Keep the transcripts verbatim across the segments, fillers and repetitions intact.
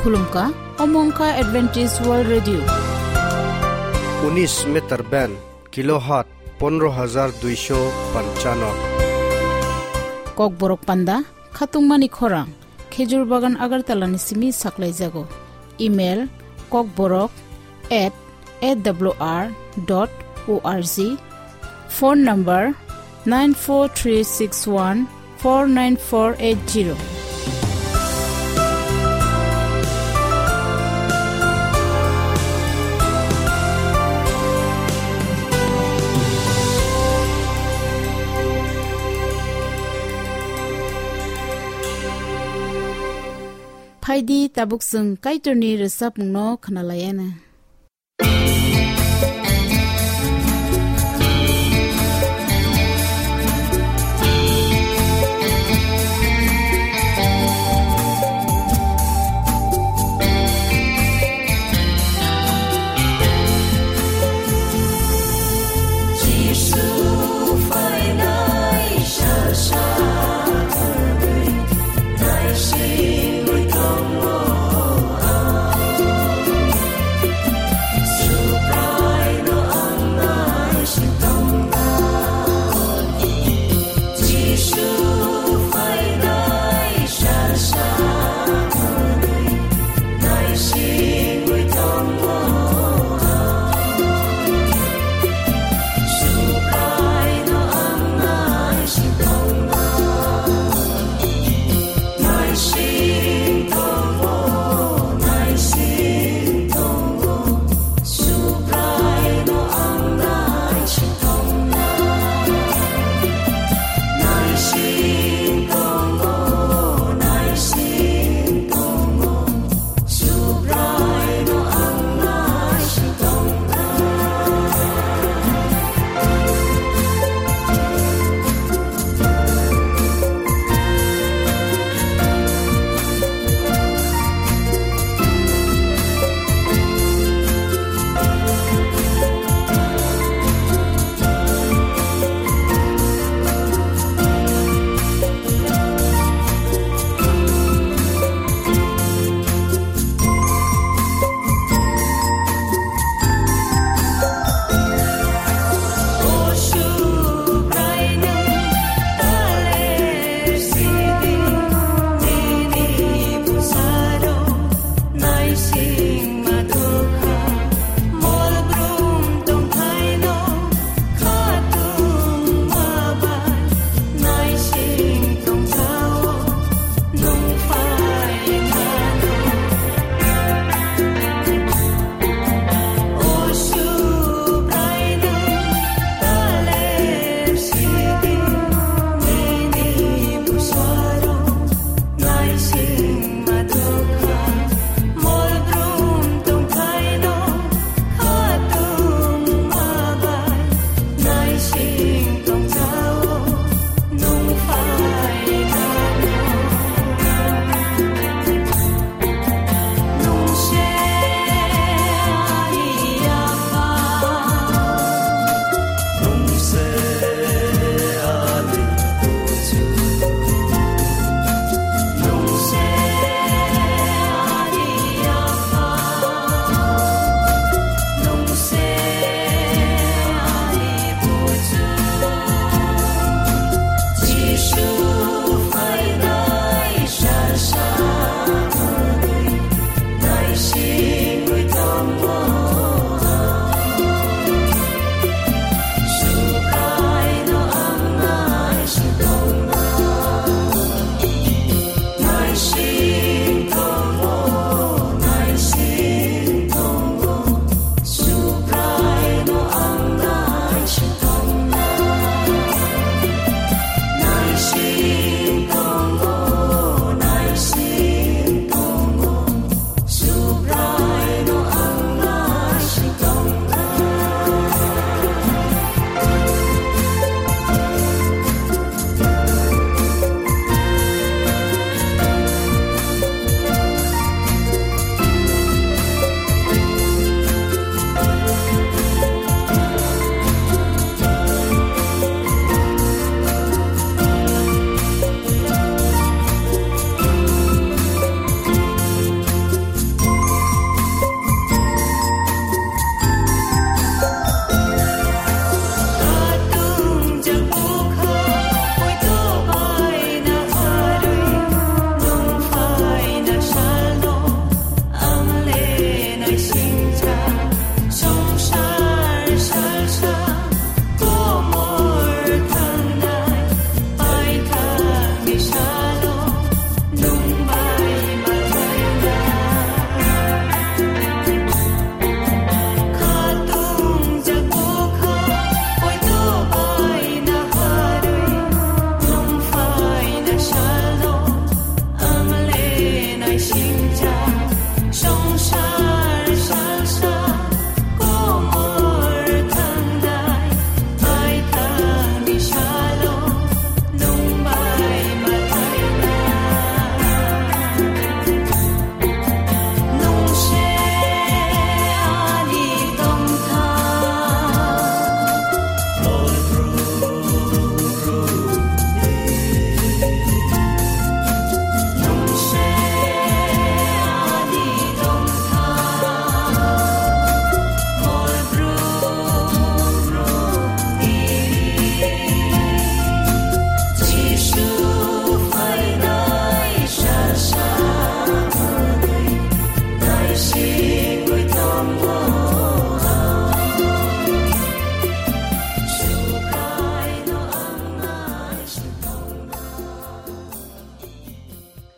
Khulumkha, omo wngkha Adventist World Radio. Unis meter band, kilohertz pondro hajar duisho panchano. Kokborok panda, khatungmani khorang, Khejur Bagan Agartala ni simi saklaijago. Email, kokborok at A W R dot O R G. Phone number nine four three six one four nine four eight zero. Phaidi tabuk chwng Kaitorni rwchapmungno khwnalaiana.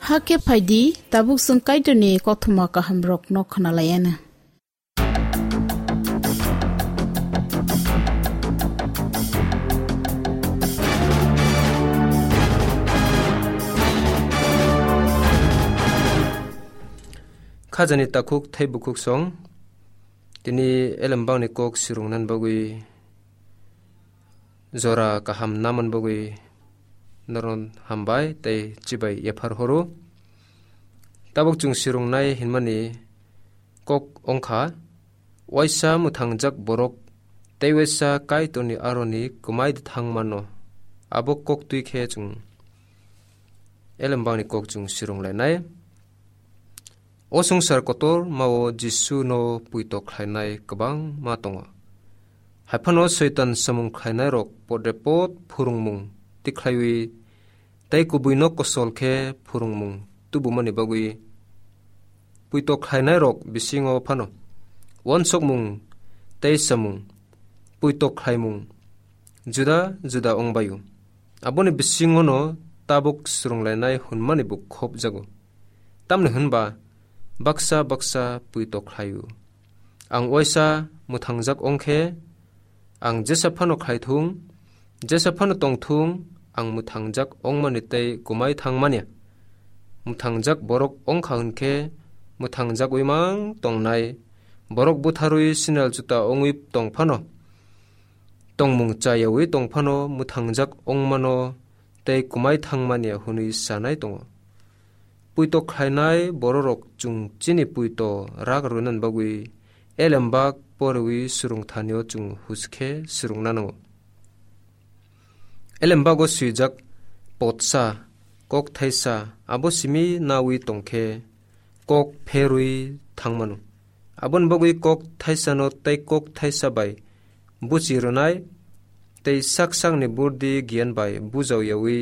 Hakhe phaidi, tabuk chwng Kaitorni kothoma kahamrokno khwnalaianw. Khajani takhuk thai bukhuk song, tini elembakni kok swrwngna bagwi jora kaham naman bagwi noron hambai tei chibai yaphar horo. Tabuk chwng swrwngnai hinmani kok wngkha, waisa mwthangjak borok tei waisa Kaitorni aroni kwmai thang mano. Abo kok twi khe chwng elembakni kok chwng swrwnglainai. O swngchar kotormao Jisuno puito khlainai kwbangma tongo. Haiphano Soitan samung khlainairok podrepot phwrwngmung tikhlaiwi tei kubuino kosol khe phwrwngmung tubumani bagwi puito khlainairok bisingo phano uansukmung tei samung, puito khlaimung juda juda wngbaio. Aboni bisingono tabuk swrwnglainai hwnmani bo khopjago. Tamni hwnba baksa baksa puito khlaio. Ang waisa mwthangjak wngkhe, ang jesa phano khlaithung, jesa phano tongthung, ang mwthangjak wngmani tei kwmai thangmani. Mwthangjak borok wngkha hwnkhe, mwthangjagwi mang tongnai borok butharwi sinal juta wngwi tong phano, tongmung chayawi tong phano mwthangjak wngmano tei kwmai thangmani hwnwi sanai tongo. Puito khlainai bororok chwng chini puito rak rwna bagwi elembak poriwi swrwngthanio chwng huskhe swrwngna nango. Elembago swijak potsa, kok thaisa, abo simi nawi tongkhe kok pherwi thangmano. Aboni bagwi kok thaisano tei kok thaisa bai buchi rwnai tei sak sakni burdi giyan bai bujau yawi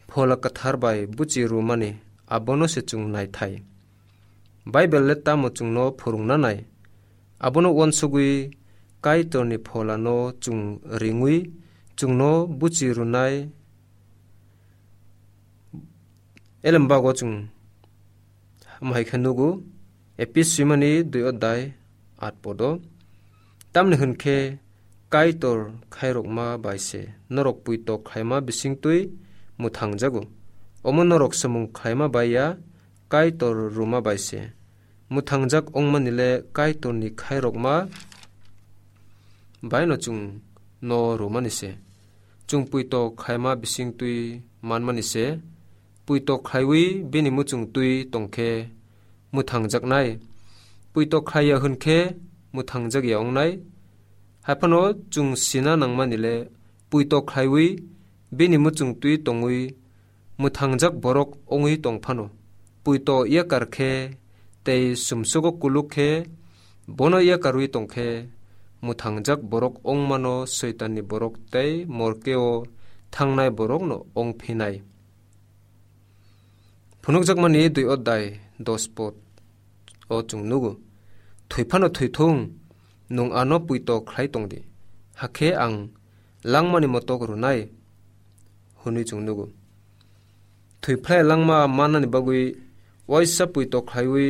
Phola Kwthar bai buchi rwmani abono se chwng naithai. Bible le tamo chwngno phwrwngna nai? Abono uansugwi Kaitorni pholano chwng ringwi chwngno buchi rwnai. Elembago chwng Omo hai khe nugo, Epis swimani dui odai at podo. Tamni hwn khe Kaitor khairokma bai se norok puito khlaima bisingtwi mwthangjago. Omo norok samung khlaima bai ya, Kaitor rwma bai se. Mwthangjak wngmani le Kaitorni khairokma baino chwng no rwmani se. Chwng puito khlaima bisingtwi manmani se. Puito khlaiwi bini muchung twi tong khe mwthangjaknai. Puito khlai ya hwn khe mwthangjak ya wngnai. Haiphano chwng sina nangmani le puito khlaiwi bini muchung twi tongwi mwthangjak borok wngwi tong phano, puito yakar khe tei sumsugo kuluk khe bono yakarwi tong khe, mwthangjak borok wngmano Soitanni borok tei morkeo thangnai borokno wng phinai. Phunukjakmani dui odai dos pod o chwng nugo, "Thwi phano thwithung, nwng ano puito khlai tong di, hakhe ang langmani motok rwnai," hwnwi chwng nugo. Thwi phlai langma mannani bagwi waisa puito khlaiwi,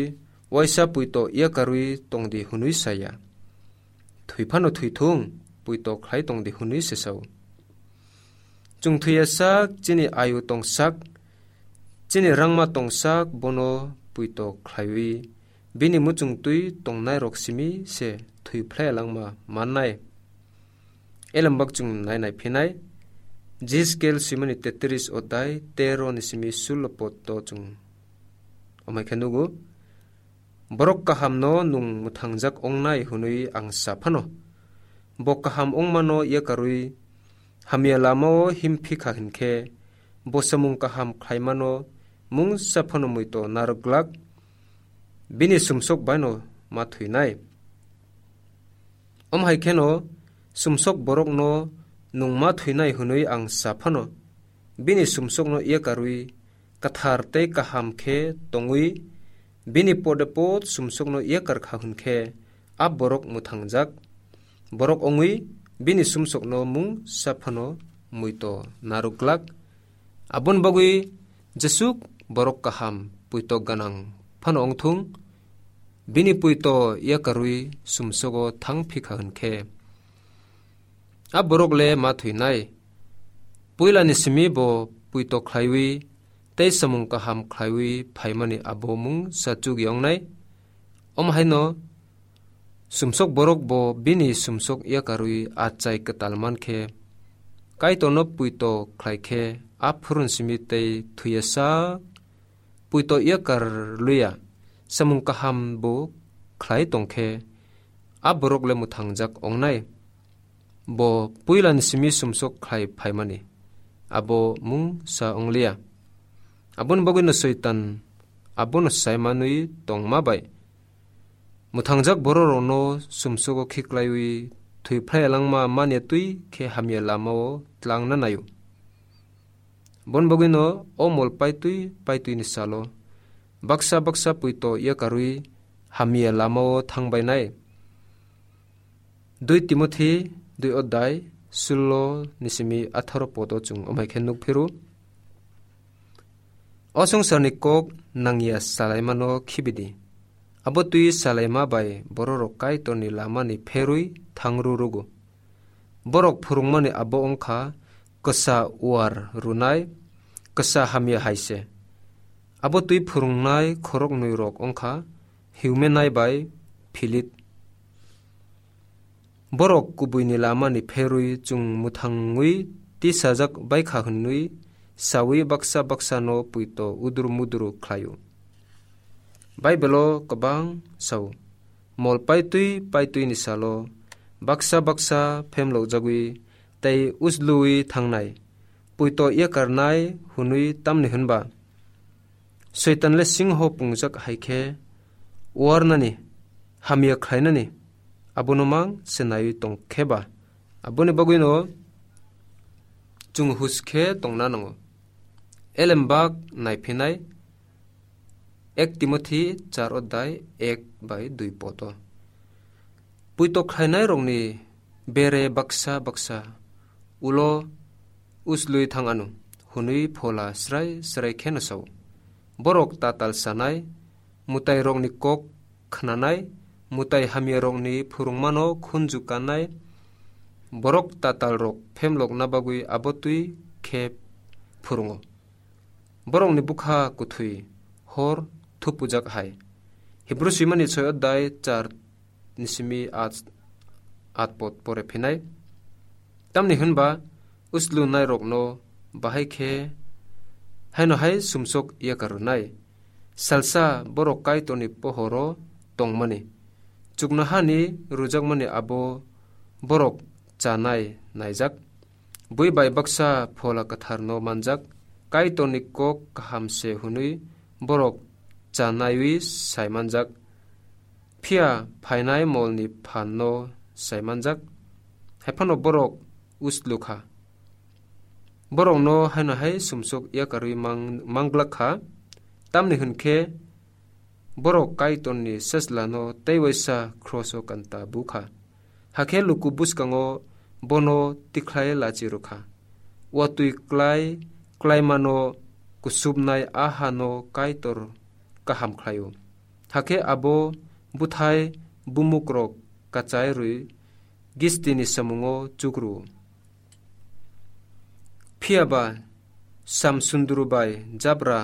waisa puito yakarwi tong di hwnwi sa ya. Thwi phano thwithung, puito khlai tong di hwnwi se sao. Chwng thwi ya sak, chini ayu tong sak, chini rangma tong sak, bono puito khlaiwi bini muchung twi tongnai rok simi se thwi phlai langma mannai. Elembak chwng nai nai phinai, Jiskel simani tetris odai tero ni simi sullo pod to chwng. Omai khe nugo, borok kaham no nwng mwthangjak wngnai hwnwi ang sa phano. Bo kaham wngmano yakarwi hamya lamao him phi kha hwn khe, bo samung kaham khlaimano mungsa phano muito narwk glak, bini sumsok baino ma thwinai. Om hai kheno sumsok borokno nwng ma thwinai hwnwi ang sa phano, bini sumsokno yakarwi kwthar tei kaham khe tongwi, bini pode pod sumsokno yakar kha hwn khe, a borok mwthangjak borok wngwi bini sumsokno mungsa phano muito narwk glak. Aboni bagwi jesuk borok kaham puito gwnang phano wngthung, bini puito yakarwi sumsogo thang phikha hwn khe, a borok le ma thwinai. Puilani simi bo puito khlaiwi tei samung kaham khlaiwi phaimani abo mungsa chukya wngnai. Omo haino sumsok borok bo bini sumsok yakarwi achai kwtal man khe, Kaitorno puito khlai khe, a phurun simi tei thwiya sak puito yakar luya samung kaham bo khlai tong khe, a borok le mwthangjak wngnai. Bo puilani simi sumsok khlai phaimani abo mungsa wngliya. Aboni bagwino Soitan abono saimanwi tongma bai mwthangjak bororokno sumsogo khiklaiwi thwi phlai langma manya twi khe hamya lamao tlangna naio. Bon bagwino o mol paitwi paitwini salo baksa baksa puito yakarwi hamya lamao thangbainai. Dui Timothi dui odai sullo ni simi atharo podo chwng omai khe nukphiru. O swngcharni kok nangya salaimano khibidi. Abo twi salaima bai bororok Kaitorni lamani pherwi thangru rugo. Borok phwrwngmani abo wngkha kwsa uar rwnai, kwsa hamya hai se. Abo twi phwrwngnai khoroknwi rok wngkha Hiumenai bai Philip. Borok kubuini lamani pherwi chwng mwthangwi tisajak baikha hwnwi sawi baksa baksano puito udru mudru khlaio. Baibelo kwbang sao, mol paitwi paitwini salo baksa baksa phemlokjagwi tei usluwi thangnai, puito yakarnai hwnwi tamni hwnba Soitan le singho pungjak hai khe uarnani, hamya khlainani abono mang se naiwi tong khe ba, aboni bagwino chwng hus khe tongna nango. Elembak naiphinai ek Timothi char odai ek bai dui poto. Puito khlainairokni bere baksa baksa ulo uslui thang ano hwnwi phola srai srai kheno sao. Borok tatal sanai, mwtairokni kok khnanai, mwtai hamyarokni phwrwngmano khunju kannai, borok tatalrok phemlokna bagwi abo twi khe phwrwngo. Borokni bwkha kwthwi hor thupujak hai. Hibru swimani soi odai char ni simi at, at pot pore phinai. Tamni hwnba uslu nairokno bahai khe haino hai sumsok yakarunai. Salsa borok Kaitorni pohoro tongmani. Chuknohani rujakmani abo borok chanai naijak. Bui bai baksa phola kwtharno manjak, Kaitorni kok kaham se hwnwi borok chanaiwi sai manjak, phiya phainai molni phanno sai manjak, hai phano borok uslu kha. Borokno haino hai sumsok yakarwi mang-, manglak kha, tamni hwn khe borok Kaitorni seslano tei waisa kroso kanta bu kha. Hakhe luku bwskango bono tikhlai lachi rwkha. Watwi klai, klaimano kusubnai a hano Kaitor kaham khlaio. Hakhe abo bwthai bumukrok kachai rwi Gistini samungo chukru. Phiya ba Samsundru bai jabra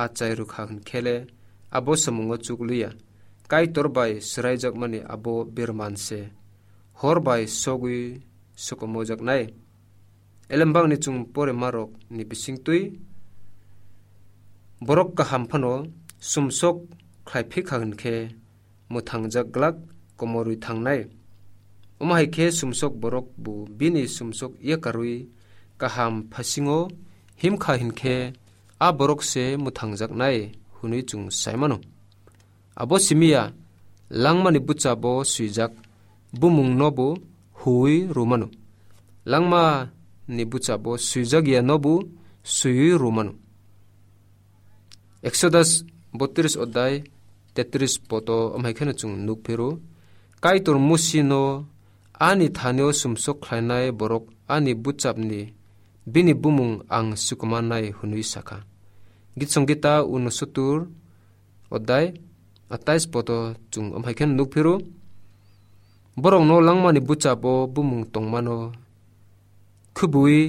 achai rwkha hwn khe le abo samungo chukliya. Kaitor bai swraijakmani abo birman se hor bai sogwi sokomojaknai. Elembakni chwng poremarokni bisingtwi borok kaham phano sumsok khlai phikha hwn khe mwthangjak glak komorwi thangnai. Omo hai khe sumsok borok bo bini sumsok yakarwi kaham phasingo himkha hinkhe a borok se mwthangjaknai hwnwi chwng sai mano. Abo simiya langmani bwchabo swijak bumungno bo huwi rwmano. Langmani bwchabo swijak yano bo swiwi rwmano. Exodus botris odai tetris poto amhai kheno chwng nukphiro, Kaitor Musino, "Ani thanio sumsok khlainai borok ani bwchapni bini bumung ang sikumanai," hwnwi sakha. Gitsong Gita unosotur odai atais poto chung amhai khe nuk phiru. Borokno langmani buchabo bumung tongmano khubui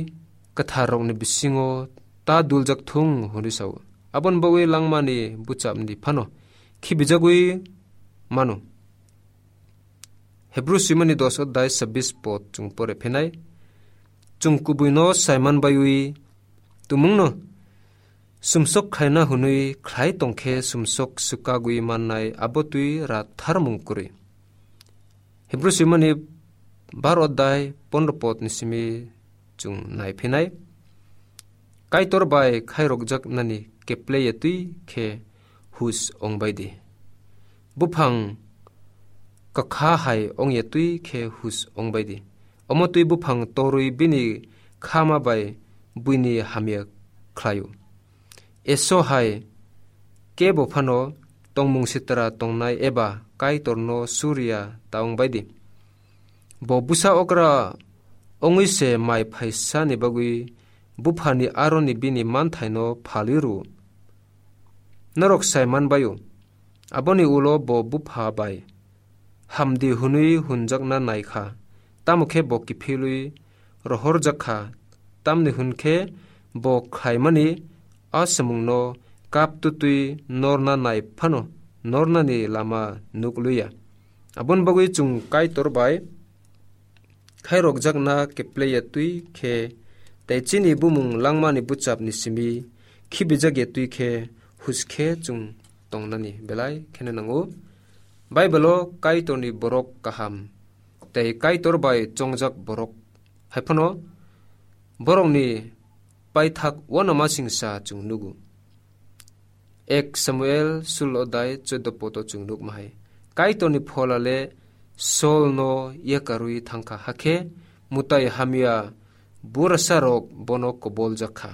kwtharrokni bisingo ta duljak thung hwnwi sao. Aboni bagwi langmani buchabni phano khibijagwi mano. Hebru swimani dos odai sabis pot chung pore phinai. Chung kubuino saiman baiwi tumungno sumsok khlaina hwnwi khlai tongkhe sumsok swkagwi mannai abo twi rat tharmung kwrwi. Hebru swimani bar odai pondro potni simi chung nai phinai. Kaitor bai khairokjaknani kepleya twi khe hus ongbai di. Buphang kakha hai ongya twi khe hus ongbai di. Omo twi buphang torwi bini khama bai buini hamya khlaio. Eso hai kebo phano tongmung sitra tongnai eba Kaitorno suriya ta ongbai di. Bo bwsa okra ongwi se mai phaisani bagwi buphani aroni bini manthaino phalwi rw. Norok sai man bai-o, aboni ulo bo bupha bai hamdi hwnwi hwnjakna nai kha, tamo khe bo kiphilwi rohorjak kha, tamni hwn khe bo khlaimani a samungno kap tutwi norna nai phano nornani lama nuk liya. Aboni bagwi chwng Kaitor bai khairokjakna kepleya twi khe tei chini bumung langmani buchapni simi khibijak ya twi khe hus khe chwng tongnani belai kheno nango. Baibelo Kaitorni borok kaham tei Kaitor bai chongjak borok hai phano borokni paithak uanamasingcha chwng nugo. Ek Samuel sulo dai choddo poto chwng nukma hai. Kaitorni pholale Saulno yakarwi thangkha, hakhe mwtai hamya burasarok bono koboljak kha.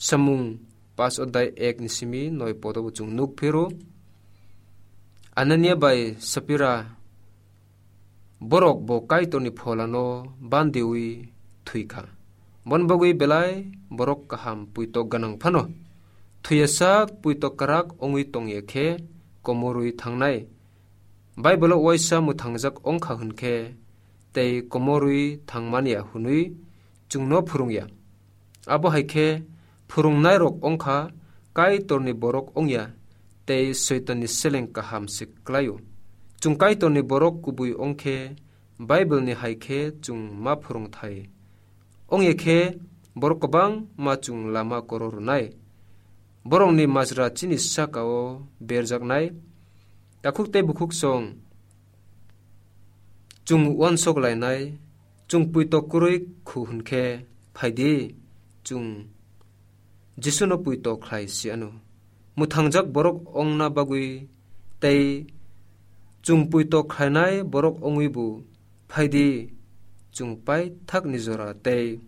Samung pas odai ek ni simi noi poto bo chwng nuk phiro. Anania bai Sapira borok bo Kaitorni pholano bandiwi thwi kha. Bon bagwi belai borok kaham puitok gwnang phano thwiyasak puitok kwrak ongwi tongya khe komorwi thangnai. Baibolo uaisa mwthangjak ongkha hwn khe tei komorwi thangmanya hwnwi chwngno phwrwngya. Abo hai khe phwrwngnairok ongkha Kaitorni borok ongya tei Soitanni seleng kaham se klaio. Chwng Kaitorni borok kubui ongkhe Baibelni hai khe chwng ma phwrwngthai ongya khe borok kwbangma chwng lama koro rwnai. Borokni majra chini saka-o berjaknai. Takhuk tei bukhuk song chwng uansok lainai, chwng puitok kwrwi khu hwn khe, phai di, chwng Jisuno puitok khlai si ano. Mwthangjak borok ongna bagwi tei chwng puitok khlainai borok ongwi bo phai di, chwng paithakni jora tei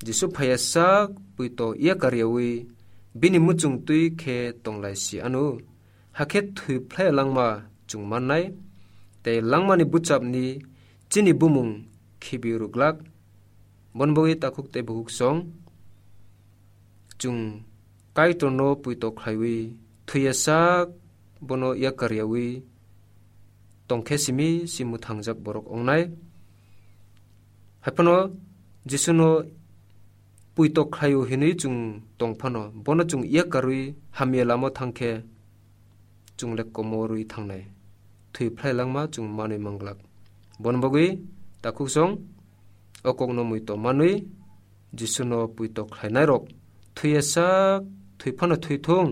Jisu phaiya sak puitok yakar yawi bini muchung twi khe tonglai si ano. Hakhe thwi phlai langma chwng mannai, tei langmani buchapni chini bumung khibi rwglak. Bon bagwi takhuk tei bukhuk song chwng Kaitorno puitok khlaiwi thwiya sak bono yakar yawi tongkhe simi si mwthangjak borok ongnai. Haiphano Jisuno puitok khlaio hinwi chwng tong phano, bono chwng yakarwi hamya lama thangkhe chwng le komorwi thangnai. Thwi phlai langma chwng manwi manglak. Bon bagwi takhuk song o kokno muitok manwi Jisuno puitok khlainairok thwiya sak thwi phano thwi thung,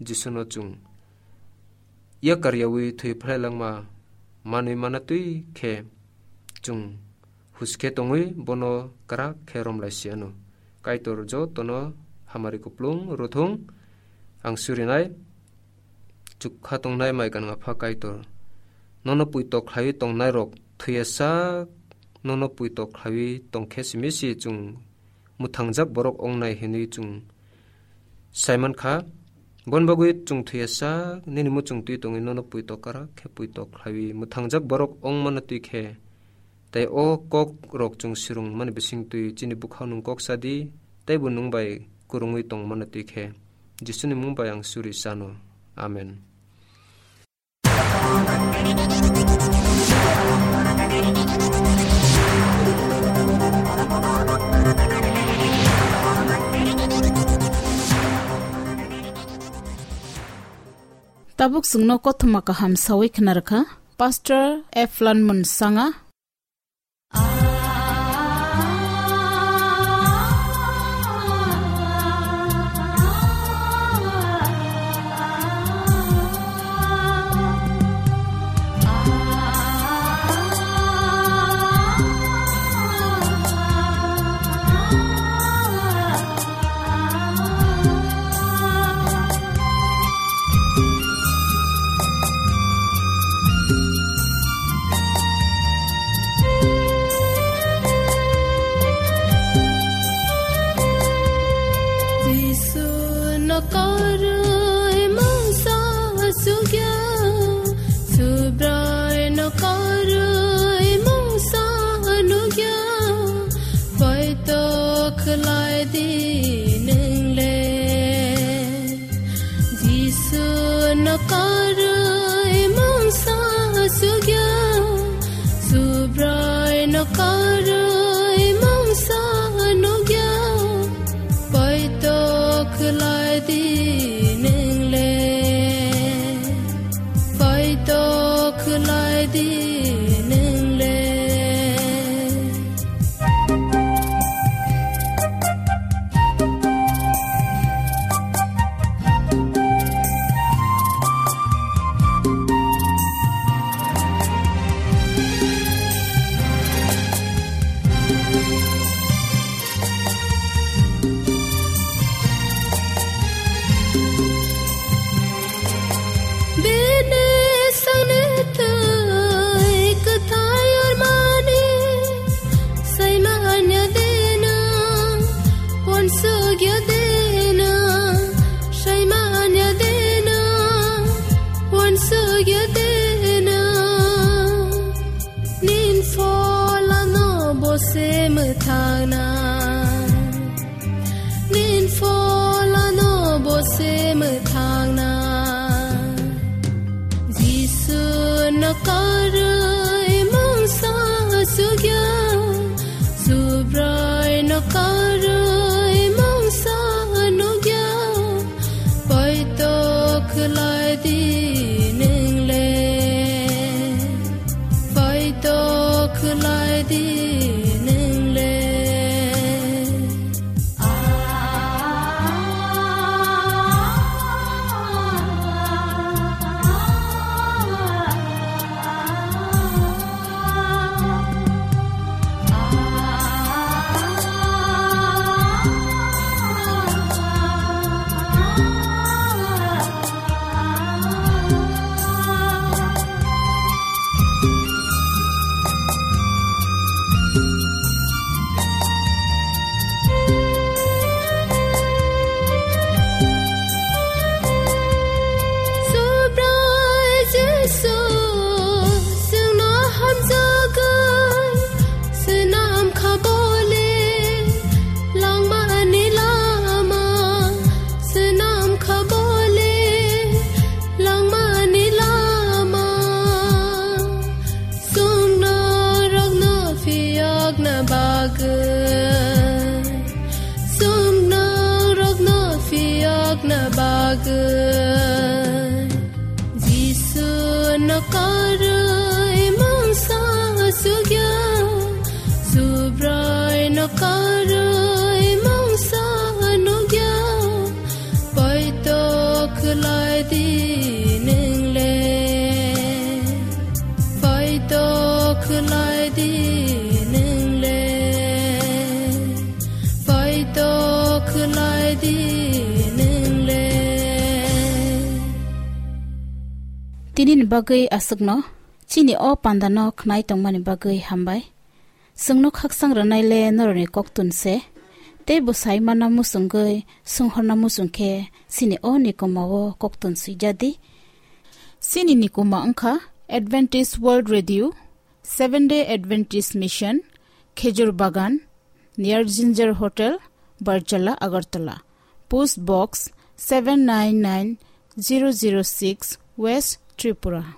Jisuno chwng yakar yawi thwi phlai langma manwi mana twi khe chwng huskhe tongwi bono kwrak khe romlai si ano. Kaitor jotono hamari kuplung rwthung. Ang surinai chukha tongnai mai gwnang Apha Kaitor, nono puitok khlaiwi tongnairok thwiya sak nono puitok khlaiwi tongkhe simi si chwng mwthangjak borok ongnai hinwi chwng sai mankha. Bon bagwi chwng thwiya sak nini muchung twi tongwi nono puitok kwrak khe puitok khlaiwi mwthangjak borok ongmano twi khe, tei o kok rok chwng swrwngmani bising twi chini bwkhao nwng kok sa di, teibo nwng bai kwrwngwi tongmano twi khe Jisuni mung bai ang suri sano. Amen. Tabuk chwngno kothoma kaham sawi khna rwkha Pastor Eflan Munsanga. Jisu no karwi mungsa sugya, Subrai no karwi mungsa nugya, poito khlai di nwngle. Jisu no karwi mungsa sugya, Subrai no karwi mungsa nugya, poito khlai di nwngle, poito khlai di nwngle. Bini sangni twi kwthai ormani saimanya dena, uansukya dena, saimanya dena, uansukya dena. Nin pholano bo se mwthangna, nin pholano bo se mwthangna. Jisu no karwi mungsa sugya, Subrai no karwi mungsa nugya, poito khlai di nwngle, poito khlai di nwngle. Subrai Jisu, chwngno hamjagwi swnam kha bole, langmani lama swnam kha bole, langmani lama. Chwng norokno phiyokna bagwi, chwng norokno phiyokna bagwi. Jisu no karwi mungsa sugya, Subrai no karwi mungsa nugya, poito khlai di nwngle, poito khlai di nwngle, poito khlai di nwngle. Tini ni bagwi aswkno, chini o panda no khnai tongmani bagwi hambai. Chwngno khakchang rwnai le norokni koktun se, tei bwsai mana muchungwi swnghorna muchung khe chini o nikuma o koktun swijadi. Chini nikuma wngkha Adventist World Radio, Seventh Day Adventist Mission, Khejur Bagan, near Ginger Hotel, Barjala, Agartala. Post Box seven nine nine zero zero six, West Tripura.